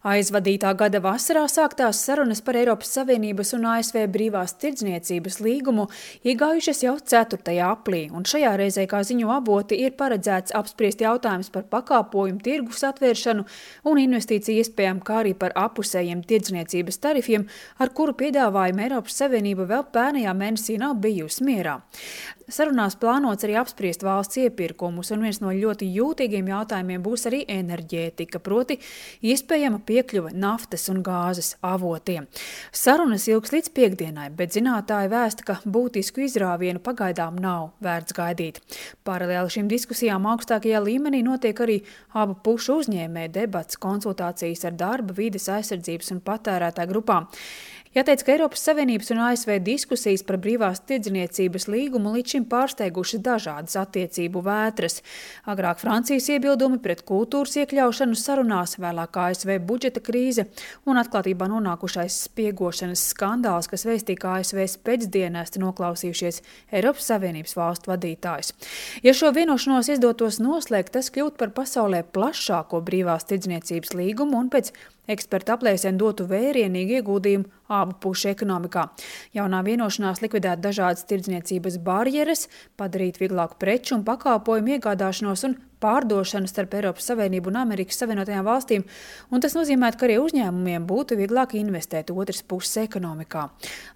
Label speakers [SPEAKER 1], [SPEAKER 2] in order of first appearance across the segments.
[SPEAKER 1] Aizvadītā gada vasarā sāktās sarunas par Eiropas Savienības un ASV brīvās tirdzniecības līgumu iegājušas jau 4. aplī, un šajā reizē, kā ziņo avoti, ir paredzēts apspriest jautājums par pakāpojumu tirgus atvēršanu un investīciju iespējām, kā arī par apusējiem tirdzniecības tarifiem, ar kuru piedāvājumu Eiropas Savienība vēl pērnajā mēnesī nav bijusi mierā. Sarunās plānots arī apspriest valsts iepirkumus, un viens no ļoti jūtīgiem jautājumiem būs arī enerģētika, proti iespējama piekļuve naftas un gāzes avotiem. Sarunas ilgs līdz piekdienai, bet zinātāji vēsta, ka būtisku izrāvienu pagaidām nav vērts gaidīt. Paralēli šīm diskusijām augstākajā līmenī notiek arī abu pušu uzņēmēju debats, konsultācijas ar darba, vides aizsardzības un patērētāju grupām. Jāteic, ka Eiropas Savienības un ASV diskusijas par brīvās tirdzniecības līgumu līdz šim pārsteiguši dažādas attiecību vētras. Agrāk Francijas iebildumi pret kultūras iekļaušanu sarunās, vēlāk ASV budžeta krīze un atklātībā nonākušais spiegošanas skandāls, kas vēstīja, ka ASV spēcdienesti noklausījušies Eiropas Savienības valstu vadītājus. Ja šo vienošanos izdotos noslēgt, tas kļūt par pasaulē plašāko brīvās tirdzniecības līgumu un pēc eksperta aplēsēm dotu vērienīgu ieguldījumu abu pušu ekonomikā. Jaunā vienošanās likvidēt dažādas tirdzniecības barjeras, padarīt vieglāku preču un pakāpojumu iegādāšanos un pārdošanu starp Eiropas Savienību un Amerikas Savienotajām valstīm, un tas nozīmē, ka arī uzņēmumiem būtu vieglāk investēt otras puses ekonomikā.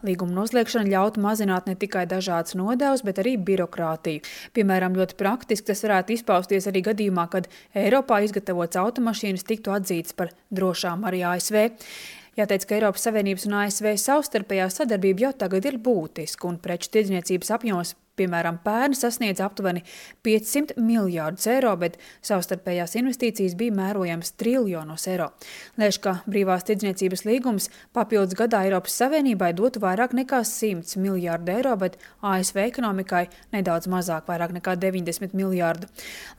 [SPEAKER 1] Līguma noslēgšana ļautu mazināt ne tikai dažādas nodevas, bet arī birokrātiju. Piemēram, ļoti praktiski tas varētu izpausties arī gadījumā, kad Eiropā izgatavotas automašīnas tiktu atzītas par drošām arī ASV. Jāteic, ka Eiropas Savienības un ASV savstarpējā sadarbība jau tagad ir būtiska, un preču tirdzniecības apjoms, piemēram, pērn sasniedz aptuveni 500 miljārdus eiro, bet savstarpējās investīcijas bija mērojams triljonos eiro. Lēš, ka brīvās tirdzniecības līgums papildus gadā Eiropas Savienībai dotu vairāk nekā 100 miljārdu eiro, bet ASV ekonomikai nedaudz mazāk, vairāk nekā 90 miljārdu.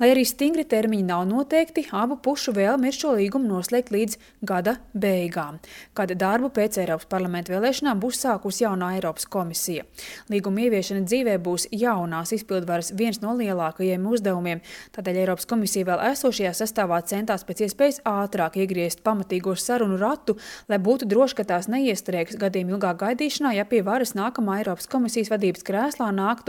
[SPEAKER 1] Lai arī stingri termiņi nav noteikti, abu pušu vēlme ir šo līgumu noslēgt līdz gada beigām, kad darbu pēc Eiropas parlamenta vēlēšanām būs sākusi jaunā Eiropas komisija. Līguma ieviešana dzīvē būs jaunās izpildvaras viens no lielākajiem uzdevumiem, tādēļ Eiropas komisija vēl esošajā sastāvā centās pēc iespējas ātrāk iegriezt pamatīgo sarunu ratu, lai būtu droši, ka tās neiestrēgs gadiem ilgā gaidīšanā, ja pie varas nākamā Eiropas komisijas vadības krēslā nāktu